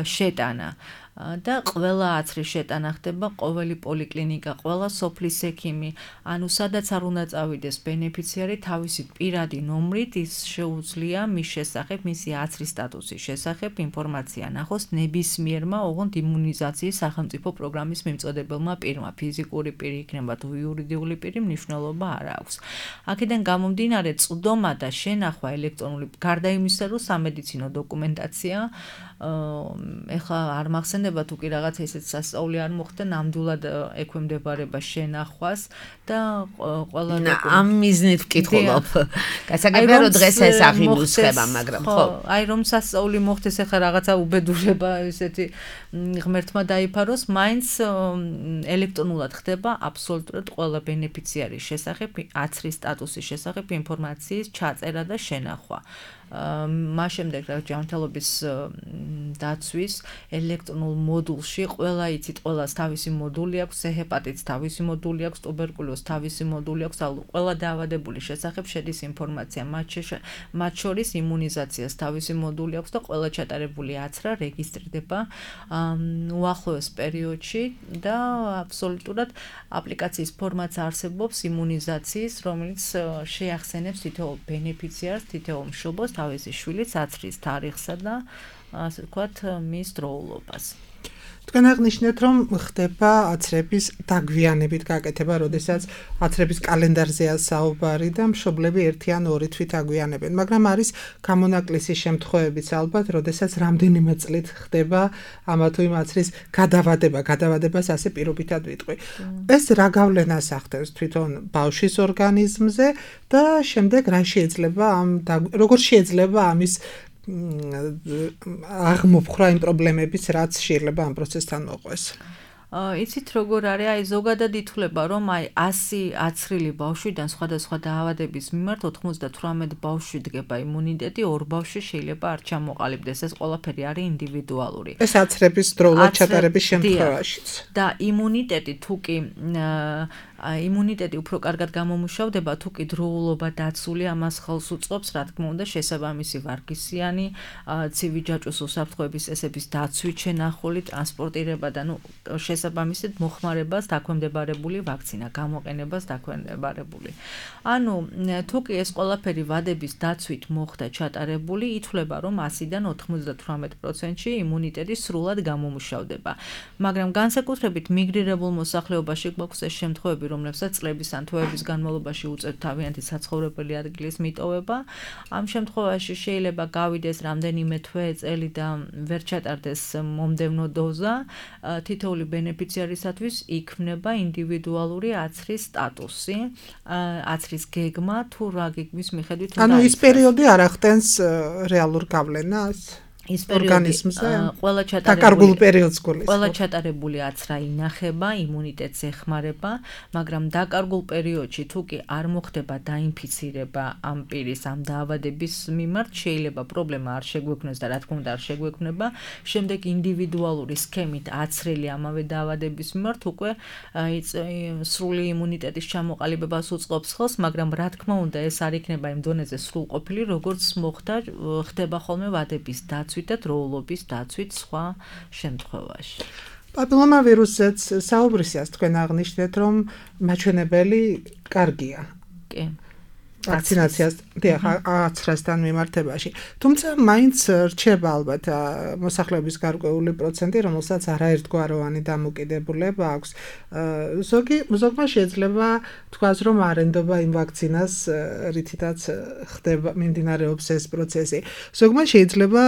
შეტანა. და ყველა აცრის შეტანა ხდება ყოველი პოლიკლინიკა, ყველა სოფლის ექიმი, ანუ სადაც არ უნდა წავიდეს ბენეფიციარი, თავისი პირადი ნომრით ის შეუძლია მის შესახებ, მისი აცრის სტატუსის შესახებ ინფორმაცია ნახოს ნებისმიერმა ოღონდ იმუნიზაციის სახელმწიფო პროგრამის მიმწოდებელმა პირმა, ფიზიკური პირი იქნება თუ იურიდიული პირი, მნიშვნელობა არ აქვს. აქედან გამომდინარე წვდომა და შენახვა ელექტრონული, გარდა იმისა, რომ სამედიცინო დოკუმენტაცია, ეხლა არ მახსენდება თუ კი რაღაცა ისეთ სასწაული არ მოხდა, ნამდვილად ექვემდებარება შენახვას და ყველა ამ მიზნით ვკითხულობ. გასაგებია რომ დღეს ეს აღიმუსება, მაგრამ ხო. აი რომ სასწაული მოხდეს, ეხლა რაღაცა უბედურება ისეთი ღმერთმა დაიფაროს, მაინც ელექტრონულად ხდება აბსოლუტურად ყველა ბენეფიციარის შესახებ, აცრის სტატუსის შესახებ ინფორმაციის ჩაწერა და შენახვა. მას შემდეგ რა ჯანმრთელობის დაცვის ელექტრონულ მოდულში ყველა იცით, ყველას თავისი მოდული აქვს, ჰეპატიტს თავისი მოდული აქვს, ტუბერკულოზს თავისი მოდული აქვს, ყველა დაავადებული შესახებ შედის ინფორმაცია, მათ შორის იმუნიზაციას თავისი მოდული აქვს და ყველა ჩატარებული აცრა რეგისტრირდება უახლოეს პერიოდში და აბსოლუტურად აპლიკაციის ფორმაც არსებობს იმუნიზაციის, რომელიც შეახსენებს თითოეულ ბენეფიციარს, თითოეულ მშობელს თავისი შვილის აცრის თარიღსა და ასე ვთქვათ მის დროულობას. თქვენ აღნიშნეთ, რომ ხდება აცრების დაგვიანებით გაკეთება, როდესაც აცრების კალენდარზეა საუბარი და მშობლები ერთი ან ორი თვით აგვიანებენ, მაგრამ არის გამონაკლისი შემთხვევებიც ალბათ, როდესაც რამდენიმე წლით ხდება ამა თუ იმ აცრის გადავადება, გადავადებას ასე პირობითად ვიტყვი. ეს რა გავლენას ახდენს თვითონ ბავშვის ორგანიზმზე და შემდეგ რა შეიძლება ამ როგორ შეიძლება ამის აღმოფხრა იმ პრობლემების, რაც შეიძლება ამ პროცესთან მოყვეს. იცით როგორ არის, აი ზოგადად ითვლება, რომ აი ასი აცრილი ბავშვიდან სხვადასხვა დაავადების მიმართ ოთხმოცდათვრამეტ ბავშვში დგება იმუნიტეტი, ორ ბავშვში შეიძლება არ ჩამოყალიბდეს. ეს ყველაფერი არის ინდივიდუალური. ეს აცრების დროულად ჩატარების შემთხვევაშიც. და იმუნიტეტი თუ კი იმუნიტეტი უფრო კარგად გამომუშავდება, თუ კი დროულობა დაცული, ამას ხელს უწყობს, რა თქმა უნდა, შესაბამისი ვარგისიანი, ცივი ჯაჭვის უსაფრთხოების წესების დაცვით შენახული, ტრანსპორტირება და ნუ შესაბამისად მოხმარებას დაქვემდებარებული ვაქცინა, გამოყენებას დაქვემდებარებული. ანუ თუ კი ეს ყველაფერი ვადების დაცვით მოხდა ჩატარებული, ითვლება, რომ ასიდან ოთხმოცდათვრამეტ პროცენტში იმუნიტეტი სრულად გამომუშავდება. მაგრამ განსაკუთრებით მიგრირებულ მოსახლეობაში გვაქვს ეს შემთხვევები, რომლებსაც წლების ან თვეების განმავლობაში უწევთ თავიანთი საცხოვრებელი ადგილის მიტოვება. ამ შემთხვევაში შეიძლება გავიდეს რამდენიმე თვე, წელი და ვერ ჩატარდეს მომდევნო დოზა. თითოეული ბენეფიციარისათვის იქმნება ინდივიდუალური აცრის სტატუსი, აცრის გეგმა თუ რა გეგმის მიხედვით უნდა. ანუ ის პერიოდი არ ახდენს რეალურ გავლენას ის ორგანიზმზე ყველა ჩატარებული პერიოდს გულისხმობს. ყველა ჩატარებული აცრა ინახება, იმუნიტეტს ეხმარება, მაგრამ დაკარგულ პერიოდში თუ კი არ მოხდება დაინფიცირება ამ პირის ამ დაავადების მიმართ, შეიძლება პრობლემა არ შეგვექმნას და რა თქმა უნდა არ შეგვექმნება, შემდეგ ინდივიდუალური სქემით აცრელი ამავე დაავადების მიმართ უკვე სრული იმუნიტეტის ჩამოყალიბებას უწყობს ხელს, მაგრამ რა თქმა უნდა ეს არ იქნება იმ დონეზე სრულყოფილი, როგორც მოხდა ხდება ხოლმე ვადების დაცვა და დროულობის დაცვით სხვა შემთხვევაში. პაპილომავირუსზეც საუბრისას თქვენ აღნიშნეთ, რომ მაჩვენებელი კარგია. კი. ვაქცინაციას დიახ აცრასთან მიმართებაში. თუმცა მაინც რჩება ალბათ მოსახლეობის გარკვეული პროცენტი, რომელსაც არაერთგვაროვანი დამოკიდებულება აქვს. ზოგი ზოგმა შეიძლება თქვას, რომ არ ენდობა იმ ვაქცინას, რითიც ხდება მიმდინარეობს ეს პროცესი. ზოგმა შეიძლება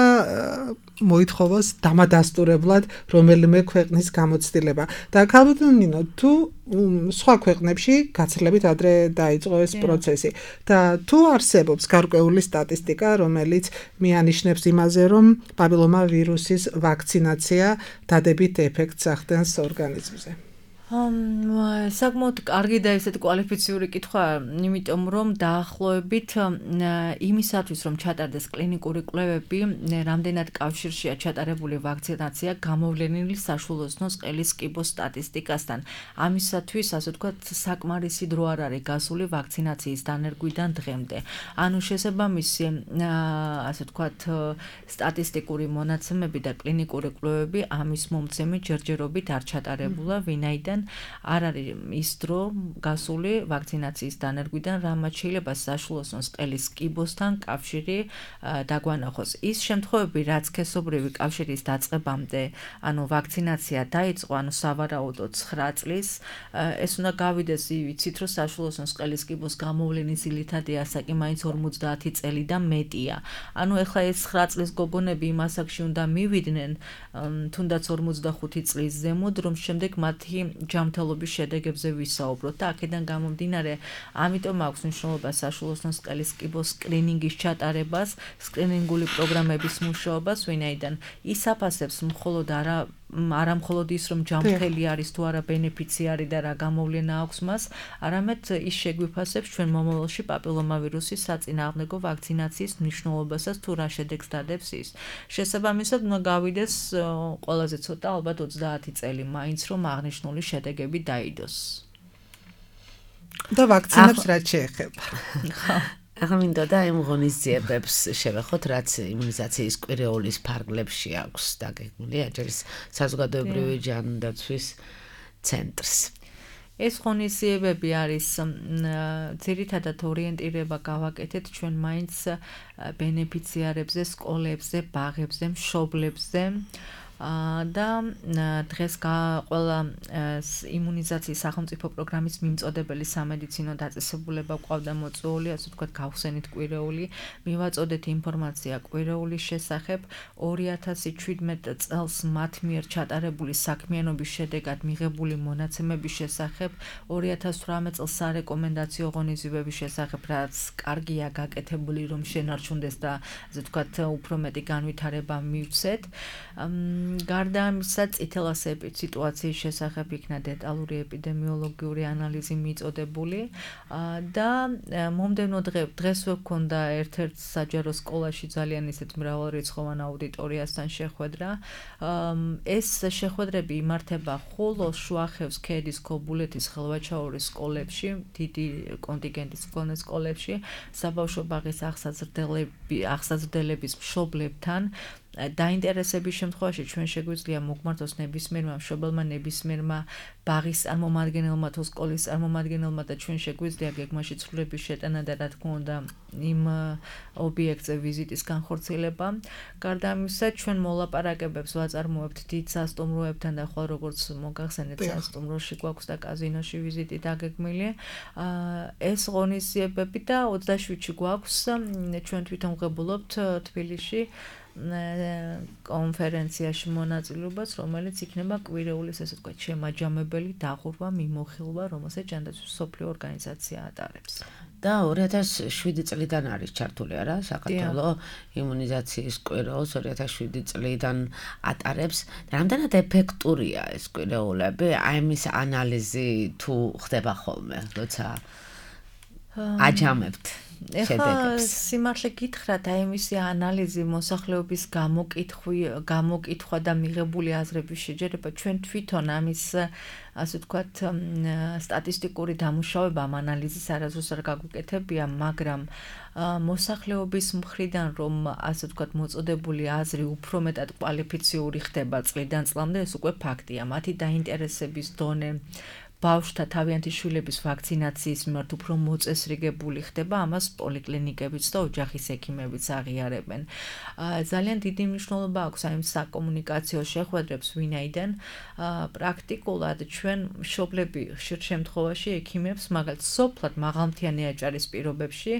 მოითხოვოს დამადასტურებლად რომელიმე ქვეყნის გამოცდილება. და ქალბატონო ნინო, თუ სხვა ქვეყნებში გაცილებით ადრე დაიწყო ეს პროცესი და თუ არსებობს გარკვეული სტატისტიკა, რომელიც მიანიშნებს იმაზე, რომ პაპილომავირუსის ვაქცინაცია დადებით ეფექტს ახდენს ორგანიზმზე. საკმაოდ კარგი და ესეთი კვალიფიციური კითხვა, იმიტომ რომ დაახლოებით იმისათვის, რომ ჩატარდეს კლინიკური კვლევები, რამდენად კავშირშია ჩატარებული ვაქცინაცია გამოვლენილი საშუალოსნოს ყელის კიბოს სტატისტიკასთან. ამისათვის, ასე ვთქვათ, საკმარისი დრო არ არის გასული ვაქცინაციის დანერგვიდან დღემდე. ანუ შესაბამისი, ასე ვთქვათ, სტატისტიკური მონაცემები და კლინიკური კვლევები ამის მომცემი ჯერჯერობით არ ჩატარებულა, ვინაიდან არ არის ის დრო გასული ვაქცინაციის დანერგვიდან, რამაც შეიძლება საშუალოსნოს ყელის კიბოსთან კავშირი დაგვანახოს. ის შემთხვევები, რაც სქესობრივი კავშირის დაწყებამდე, ანუ ვაქცინაცია დაიწყო, ანუ სავარაუდოდ ცხრა წლის, ეს უნდა გავიდეს, ვიცით, რომ საშუალოსნოს ყელის კიბოს გამოვლენის ძირითადი ასაკი მაინც ორმოცდაათი წელი და მეტია. ანუ ეხლა ეს ცხრა წლის გოგონები იმ ასაკში უნდა მივიდნენ, თუნდაც ორმოცდახუთი წლის ზემოთ, რომ შემდეგ მათი ჯანმრთელობის შედეგებზე ვისაუბროთ და აქედან გამომდინარე, ამიტომ აქვს მნიშვნელობა საშუალოსნოს ყელის კიბოს სკრინინგის ჩატარებას, სკრინინგული პროგრამების მუშაობას, ვინაიდან ის აფასებს მხოლოდ არა არა მხოლოდ ის, რომ ჯანმრთელი არის თუ არა ბენეფიციარი და რა გამოვლენა აქვს მას, არამედ ის შეგვიფასებს ჩვენ მომავალში პაპილომავირუსის საწინააღმდეგო ვაქცინაციის მნიშვნელობასაც თუ რა შედეგს დადებს ის. შესაბამისად, უნდა გავიდეს ყველაზე ცოტა, ალბათ ოცდაათი წელი მაინც, რომ აღნიშნული შედეგები დაიდოს. და ვაქცინებს რაც შეეხება. ახლა მინდოდა იმ ღონისძიებებს შევეხოთ, რაც იმუნიზაციის კვირეულის ფარგლებში აქვს დაგეგმილი აჭარის საზოგადოებრივი ჯანდაცვის ცენტრს. ეს ღონისძიებები არის ძირითადად ორიენტირება გავაკეთეთ ჩვენ მაინც ბენეფიციარებზე, სკოლებზე, ბაღებზე, მშობლებზე. და დღეს ყველა იმუნიზაციის სახელმწიფო პროგრამის მიმწოდებელი სამედიცინო დაწესებულება ყავდა მოწვეული, ასე ვთქვათ, გავხსენით კვირეული, მივაწოდეთ ინფორმაცია კვირეულის შესახებ, ორი ათასი შვიდმეტ წელს მათ მიერ ჩატარებული საქმიანობის შედეგად მიღებული მონაცემების შესახებ, ორი ათას თვრამეტ წელს სარეკომენდაციო ღონისძიებების შესახებ, რაც კარგია გაკეთებული, რომ შენარჩუნდეს და ასე ვთქვათ, უფრო მეტი განვითარება მივცეთ. გარდა ამისა, წითელ ასეების სიტუაციის შესახებ იქნა დეტალური ეპიდემიოლოგიური ანალიზი მიწოდებული და მომდევნო დღეს ვქონდა ერთ-ერთ საჯარო სკოლაში ძალიან ისეთ მრავალრიცხოვან აუდიტორიასთან შეხვედრა. ეს შეხვედრები იმართება ხულოს, შუახევს, ქედის, ქობულეთის, ხელვაჩაურის სკოლებში, დიდი კონტინგენტის მქონე სკოლებში, საბავშვო ბაღის აღსაზრდელების მშობლებთან. დაინტერესების შემთხვევაში ჩვენ შეგვიძლია მოგმართოს ნებისმიერმა მშობელმა, ნებისმიერმა ბაღის წარმომადგენელმა თუ სკოლის წარმომადგენელმა და ჩვენ შეგვიძლია გეგმაში ცვლილების შეტანა და რა თქმა უნდა იმ ობიექტზე ვიზიტის განხორციელება. გარდა ამისა, ჩვენ მოლაპარაკებებს ვაწარმოებთ დიდ სასტუმროებთან და ხოლმე როგორც მოგახსენეთ, სასტუმროში გვაქვს და კაზინოში ვიზიტი დაგეგმილი. ეს ღონისძიებები და ოცდაშვიდში გვაქვს, ჩვენ თვითონ ვღებულობთ თბილისში კონფერენციაში მონაწილეობას, რომელიც იქნება კვირეულის, ესე ვთქვათ, შემაჯამებელი დაღურვა, მიმოხილვა, რომელსაც ჯანდაცვის მსოფლიო ორგანიზაცია ატარებს. და ორი ათას შვიდი წლიდან არის ჩართული არა საქართველო იმუნიზაციის კვირეულს ორი ათას შვიდი წლიდან ატარებს. რამდენად ეფექტურია ეს კვირეულები? აი მის ანალიზი თუ ხდება ხოლმე, როცა აჯამებთ შედეგებს. სიმართლე გითხრათ, აი მისი ანალიზი, მოსახლეობის გამოკითხვი, გამოკითხვა და მიღებული აზრების შეჯერება ჩვენ თვითონ ამის, ასე ვთქვათ, სტატისტიკური დამუშავება ამ ანალიზის არასდროს არ გაგვიკეთებია, მაგრამ მოსახლეობის მხრიდან რომ, ასე ვთქვათ, მოწოდებული აზრი უფრო მეტად კვალიფიციური ხდება წლიდან წლამდე, ეს უკვე ფაქტია. მათი დაინტერესების დონე ბავშვთა თავიანთი შვილების ვაქცინაციის მიმართ უფრო მოწესრიგებული ხდება, ამას პოლიკლინიკებიც და ოჯახის ექიმებიც აღიარებენ. ძალიან დიდი მნიშვნელობა აქვს აი ამ საკომუნიკაციო შეხვედრებს, ვინაიდან პრაქტიკულად ჩვენ მშობლები ხშირ შემთხვევაში ექიმებს, მაგალითად, სოფლად მაღალმთიანი აჭარის პირობებში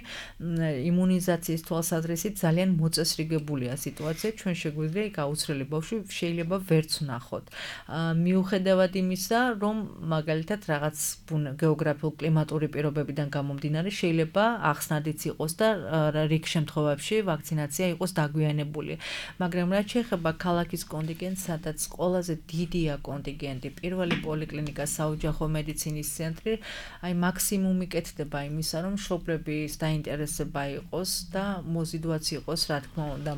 იმუნიზაციის თვალსაზრისით ძალიან მოწესრიგებულია სიტუაცია, ჩვენ შეგვიძლია იქ აუცილებელი ბავშვი შეიძლება ვერც ვნახოთ. მიუხედავად იმისა, რომ მაგალითად რაღაც გეოგრაფიულ კლიმატური პირობებიდან გამომდინარე შეიძლება ახსნადიც იყოს და რიგ შემთხვევებში ვაქცინაცია იყოს დაგვიანებული. მაგრამ რაც შეეხება ქალაქის კონტინგენტს, სადაც ყველაზე დიდია კონტინგენტი, პირველი პოლიკლინიკა, საოჯახო მედიცინის ცენტრი, აი მაქსიმუმი კეთდება იმისა, რომ მშობლების დაინტერესება იყოს და მოზიდვაც იყოს, რა თქმა უნდა.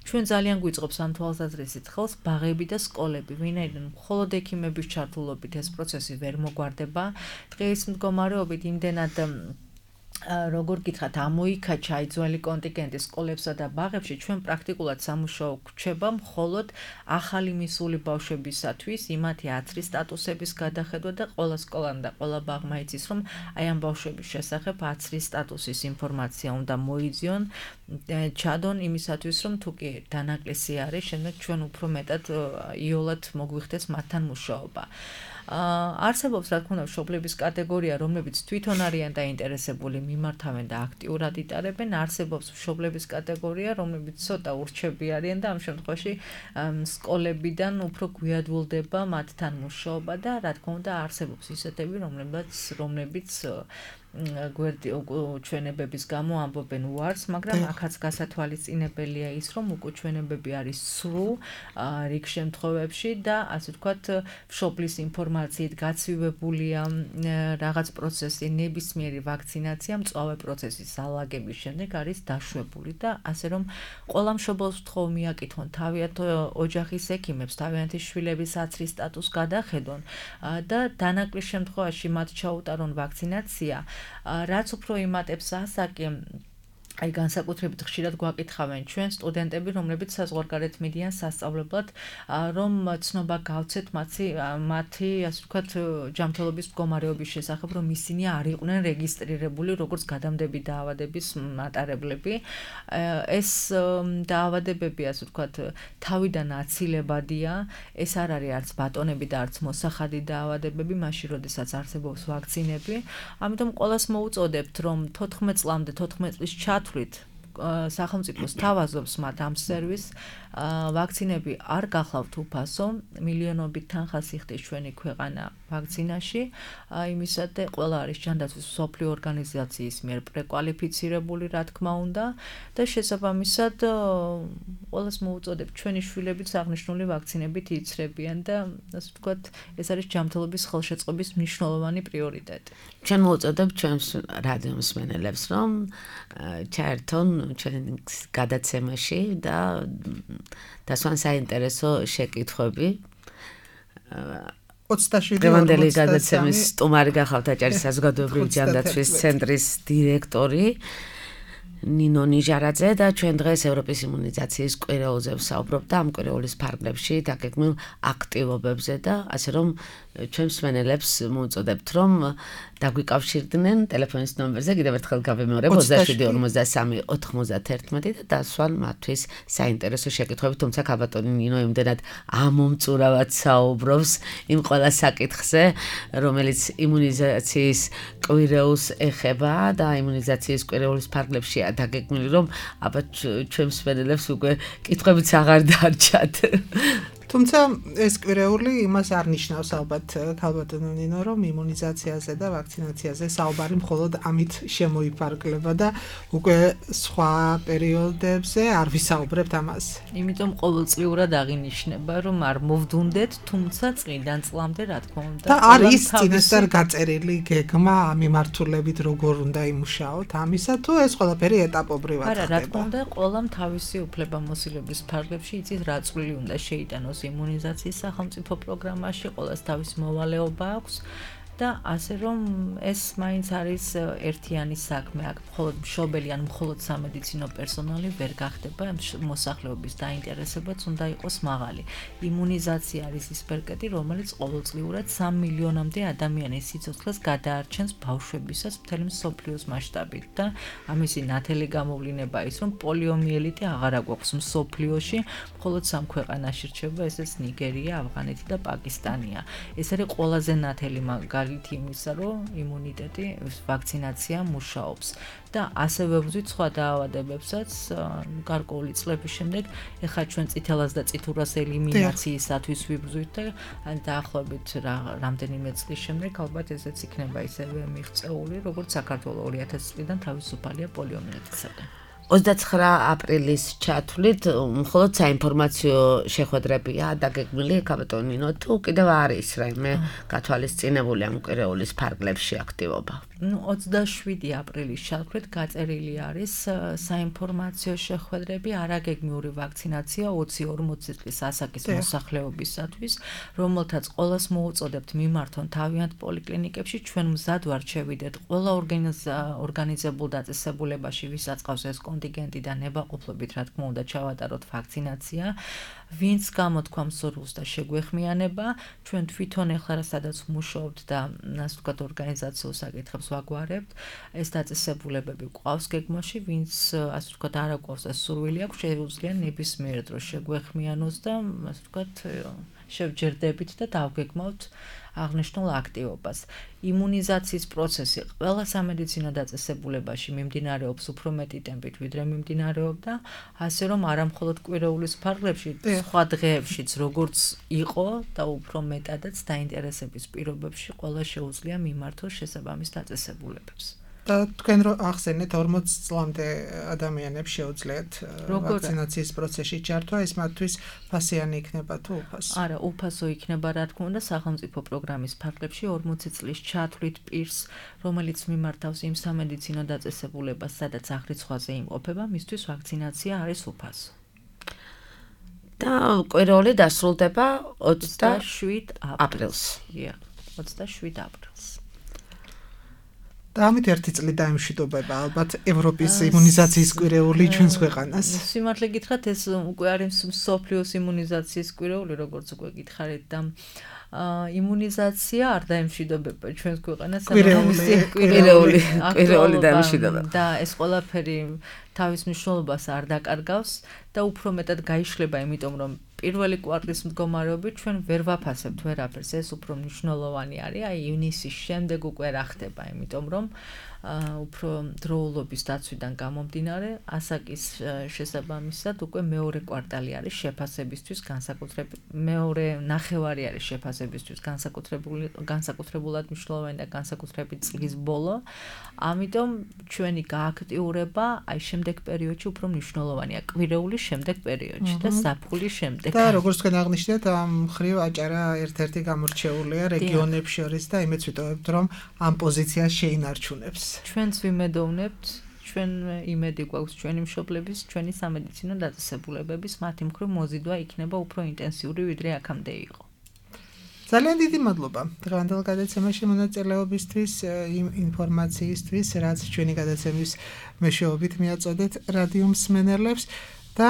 ჩვენ ძალიან გვიწყობს ამ თვალსაზრისით ხელს ბაღები და სკოლები, ვინაიდან მხოლოდ ექიმების ჩართულობით ეს პროცესი ვერ მოგვარდება. დღეს მდგომარეობით იმდენად როგორ გითხრათ, ამოიქაჩა აი ძველი კონტინგენტი სკოლებსა და ბაღებში, ჩვენ პრაქტიკულად სამუშაო გვჩება მხოლოდ ახალი მისული ბავშვებისათვის, იმათი ათრის სტატუსების გადახედვა და ყველა სკოლამ და ყველა ბაღმა იცის, რომ აი ამ ბავშვების შესახებ ათრის სტატუსის ინფორმაცია უნდა მოიძიონ, ჩადონ იმისათვის, რომ თუ კი დანაკლისი არის, შემდეგ ჩვენ უფრო მეტად იოლად მოგვიხდეს მათთან მუშაობა. არსებობს რა თქმა უნდა მშობლების კატეგორია, რომლებიც თვითონ არიან დაინტერესებული, მიმართავენ და აქტიურად იტარებენ, არსებობს მშობლების კატეგორია, რომლებიც ცოტა ურჩები არიან და ამ შემთხვევაში სკოლებიდან უფრო გვიადვილდება მათთან მუშაობა და რა თქმა უნდა არსებობს ისეთები, რომლებიც რომლებიც გვერდი უკუჩვენებების გამო ამბობენ უარს, მაგრამ აქაც გასათვალისწინებელია ის, რომ უკუჩვენებები არის სრულ რიგ შემთხვევებში და ასე ვთქვათ, მშობლის ინფორმაციით გაცივებულია რაღაც პროცესი, ნებისმიერი ვაქცინაცია მწვავე პროცესის ალაგების შემდეგ არის დაშვებული და ასე რომ ყველა მშობელს ვთხოვ მიაკითხონ თავიანთ ოჯახის ექიმებს, თავიანთი შვილების ათრის სტატუსს გადახედონ და დანაკლის შემთხვევაში მათ ჩაუტარონ ვაქცინაცია. რაც უფრო იმატებს ასაკი, აი განსაკუთრებით ხშირად გვაკითხავენ ჩვენ სტუდენტები, რომლებიც საზღვარგარეთ მიდიან სასწავლებლად, რომ ცნობა გავცეთ მათი მათი ასე ვთქვათ ჯანმრთელობის მდგომარეობის შესახებ, რომ ისინი არ იყვნენ რეგისტრირებული როგორც გადამდები დაავადების მატარებლები. ეს დაავადებები ასე ვთქვათ თავიდან აცილებადია, ეს არ არის არც ბატონები და არც მოსახადი დაავადებები, მაშინ როდესაც არსებობს ვაქცინები. ამიტომ ყველას მოუწოდებთ, რომ თოთხმეტ წლამდე თოთხმეტ წლის ჩათვლით სახელმწიფო სთავაზობს მათ ამ სერვისს, ვაქცინები არ გახლავთ უფასო, მილიონობით თანხას იხდის ჩვენი ქვეყანა ვაქცინაში, იმისათვის ყველა არის ჯანდაცვის მსოფლიო ორგანიზაციის მიერ პრეკვალიფიცირებული, რა თქმა უნდა, და შესაბამისად ყველას მოუწოდებთ ჩვენი შვილებიც აღნიშნული ვაქცინებით იცრებიან და ასე ვთქვათ, ეს არის ჯანმრთელობის ხელშეწყობის მნიშვნელოვანი პრიორიტეტი. ჩვენ მოუწოდებთ ჩვენს რადიო მსმენელებს, რომ ჩაერთონ ჩვენ გადაცემაში და დასვან საინტერესო შეკითხვები. ოცდაშვიდი გადაცემის სტუმარი გახავთ აჭარის საზოგადოებრივი ჯანდაცვის ცენტრის დირექტორი ნინო ნიჟარაძე და ჩვენ დღეს ევროპის იმუნიზაციის კვირეულზე ვსაუბრობთ და ამ კვირეულის ფარგლებში დაგეგმილ აქტივობებზე და ასე რომ ჩვენ მსმენელებს მოუწოდებთ, რომ დაგვიკავშირდნენ ტელეფონის ნომერზე, კიდევ ერთხელ გავიმეორებ ოცდაშვიდი ორმოცდასამი ოთხმოცდაათერთმეტი და დასვან მათთვის საინტერესო შეკითხვები, თუმცა ქალბატონი ნინო იმდენად ამომწურავად საუბრობს იმ ყველა საკითხზე, რომელიც იმუნიზაციის კვირეულს ეხება და იმუნიზაციის კვირეულის ფარგლებშია დაგეგმილი, რომ აბა ჩვენ მსმენელებს უკვე კითხვებიც აღარ დარჩათ. თუმცა ეს კვირეული იმას არ ნიშნავს ალბათ ქალბატონო ნინო, რომ იმუნიზაციაზე და ვაქცინაციაზე საუბარი მხოლოდ ამით შემოიფარგლება და უკვე სხვა პერიოდებზე არ ვისაუბრებთ ამას. იმიტომ ყოველწლიურად აღინიშნება, რომ არ მოვდუნდეთ, თუმცა წლიდან წლამდე რა თქმა უნდა. და არის წინასწარ გაწერილი გეგმა მიმართულებით როგორ უნდა იმუშაოთ ამისა, თუ ეს ყველაფერი ეტაპობრივად ხდება. არა, რა თქმა უნდა, ყველამ თავისი უფლებამოსილების ფარგლებში იცის რა წვლილი უნდა შეიტანოს იმუნიზაციის სახელმწიფო პროგრამაში, ყველას თავის მოვალეობა აქვს და ასე რომ ეს მაინც არის ერთიანი საქმე, აქ მხოლოდ მშობელი ან მხოლოდ სამედიცინო პერსონალი ვერ გახდება, მოსახლეობის დაინტერესებაც უნდა იყოს მაღალი. იმუნიზაცია არის ის პერკეტი, რომელიც ყოველწლიურად სამ მილიონამდე ადამიანის სიცოცხლეს გადაარჩენს ბავშვებისას მთელი მსოფლიოს მასშტაბით და ამისი ნათელი გამოვლინება ის, რომ პოლიომიელიტი აღარ აგვაქვს მსოფლიოში, მხოლოდ სამ ქვეყანაში რჩება, ესეც ნიგერია, ავღანეთი და პაკისტანია. ეს არის ყველაზე ნათელი მაგალითი იმისა, რომ იმუნიტეტი, ვაქცინაცია მუშაობს და ასევე ვუძვით სხვა დაავადებებსაც გარკვეული წლების შემდეგ, ეხლა ჩვენ წითელას და წითურას ელიმინაციისათვის ვიბრძვით და დაახლოებით რამდენიმე წლის შემდეგ ალბათ ესეც იქნება ისევე მიღწეული, როგორც საქართველოს ორი ათასი წლიდან თავისუფალია პოლიომიელიტისაგან. ოცდაცხრა აპრილის ჩათვლით მხოლოდ საინფორმაციო შეხვედრებია დაგეგმილი ქალბატონო ნინო, თუ კიდევ არის რაიმე გათვალისწინებული ამ კვირეულის ფარგლებში აქტივობა? ნუ ოცდაშვიდი აპრილის ჩათვლით გაწერილი არის საინფორმაციო შეხვედრები არაგეგმიური ვაქცინაცია ოცი ორმოცი წლის ასაკის მოსახლეობისათვის, რომელთაც ყველას მოუწოდებთ მიმართონ თავიანთ პოლიკლინიკებში, ჩვენ მზად ვართ შევიდეთ ყველა ორგანიზებულ დაწესებულებაში, ვისაც ყავს ეს კონტინგენტი და ნებაყოფლობით, რა თქმა უნდა, ჩავატაროთ ვაქცინაცია. ვინც გამოთქვა მსურვილს და შეგვეხმიანება, ჩვენ თვითონ ეხლა სადაც ვმუშაობთ და ასე ვთქვათ ორგანიზაციულ საკითხებს ვაგვარებთ, ეს დაწესებულებები გვყავს გეგმაში, ვინც ასე ვთქვათ არ აკვავს და სურვილი აქვს, შეუძლია ნებისმიერ დროს შეგვეხმიანოს და ასე ვთქვათ შევჯერდებით და დავგეგმავთ აღნიშნულ აქტივობას. იმუნიზაციის პროცესი ყველა სამედიცინო დაწესებულებაში მიმდინარეობს უფრო მეტი ტემპით, ვიდრე მიმდინარეობდა, ასე რომ არა მხოლოდ კვირეულის ფარგლებში, სხვა დღეებშიც როგორც იყო და უფრო მეტადაც დაინტერესების პირობებში ყველა შეუძლია მიმართოს შესაბამის დაწესებულებებს. და თქვენ რო ახსენეთ ორმოცი წლამდე ადამიანებს შეუძლიათ ვაქცინაციის პროცესში ჩართვა, ეს მათთვის ფასიანი იქნება თუ უფასო? არა, უფასო იქნება, რა თქმა უნდა, სახელმწიფო პროგრამის ფარგლებში ორმოცი წლის ჩათვლით პირს, რომელიც მიმართავს იმ სამედიცინო დაწესებულებას, სადაც აღრიცხვაზე იმყოფება, მისთვის ვაქცინაცია არის უფასო. და კვირეული დასრულდება ოცდაშვიდ აპრილს. აპრილს. დიახ, ოცდაშვიდ აპრილს. და ამით ერთი წლი დაემშვიდობება ალბათ ევროპის იმუნიზაციის კვირეული ჩვენს ქვეყანას. სიმართლე გითხრათ, ეს უკვე არის მსოფლიოს იმუნიზაციის კვირეული, როგორც უკვე გითხარით და იმუნიზაცია არ დაემშვიდობება ჩვენს ქვეყანას, კვირეული, კვირეული, კვირეული დაემშვიდობება. და ეს ყველაფერი თავის მნიშვნელობას არ დაკარგავს და უფრო მეტად გაიშლება, იმიტომ რომ პირველი კვარტლის მდგომარეობით ჩვენ ვერ ვაფასებთ ვერაფერს, ეს უფრო მნიშვნელოვანი არის, აი ივნისის შემდეგ უკვე რა ხდება, იმიტომ რომ უფრო დროულობის დაცვიდან გამომდინარე, ასაკის შესაბამისად უკვე მეორე კვარტალი არის შეფასებისთვის განსაკუთრებით, მეორე ნახევარი არის შეფასებისთვის განსაკუთრებული, განსაკუთრებულად მნიშვნელოვანი და განსაკუთრებით წლის ბოლო, ამიტომ ჩვენი გააქტიურება აი შემდეგ პერიოდში უფრო მნიშვნელოვანია, კვირეულის შემდეგ პერიოდში და ზაფხულის შემდეგ. და როგორც თქვენ აღნიშნეთ, ამ მხრივ აჭარა ერთ-ერთი გამორჩეულია რეგიონებს შორის და იმედს ვიტოვებთ, რომ ამ პოზიციას შეინარჩუნებს. ჩვენც ვიმედოვნებთ, ჩვენ იმედი გვაქვს ჩვენი მშობლების, ჩვენი სამედიცინო დაწესებულებების, მათი მხრივ მოზიდვა იქნება უფრო ინტენსიური, ვიდრე აქამდე იყო. ძალიან დიდი მადლობა დღევანდელ გადაცემაში მონაწილეობისთვის, იმ ინფორმაციისთვის, რაც ჩვენი გადაცემის მეშვეობით მიაწოდეთ რადიო მსმენელებს. და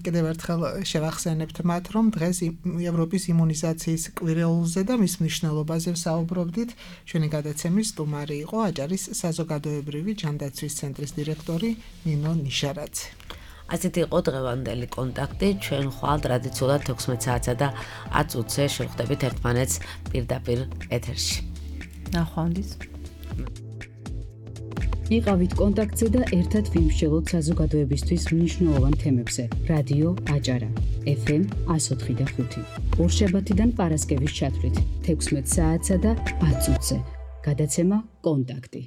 კიდევ ერთხელ შევახსენებთ მათ, რომ დღეს ევროპის იმუნიზაციის კვირეულზე და მის მნიშვნელობაზე ვსაუბრობდით. ჩვენი გადაცემის სტუმარი იყო აჭარის საზოგადოებრივი ჯანდაცვის ცენტრის დირექტორი ნინო ნიშარაძე. ასეთ იყო დღევანდელი კონტაქტი. ჩვენ ხვალ ტრადიციულად თექვსმეტ საათსა და ათს ოცზე შევხვდებით ერთმანეთს პირდაპირ ეთერში. ნახვამდის. იყავით კონტაქტზე და ერთად ვიმსჯელოთ საზოგადოებისთვის მნიშვნელოვან თემებზე. რადიო აჭარა, ეფ ემ εκατო ოთხი და ხუთი. ორშაბათიდან პარასკევის ჩათვლით თექვსმეტ საათსა და ათს ოცზე. გადაცემა კონტაქტი.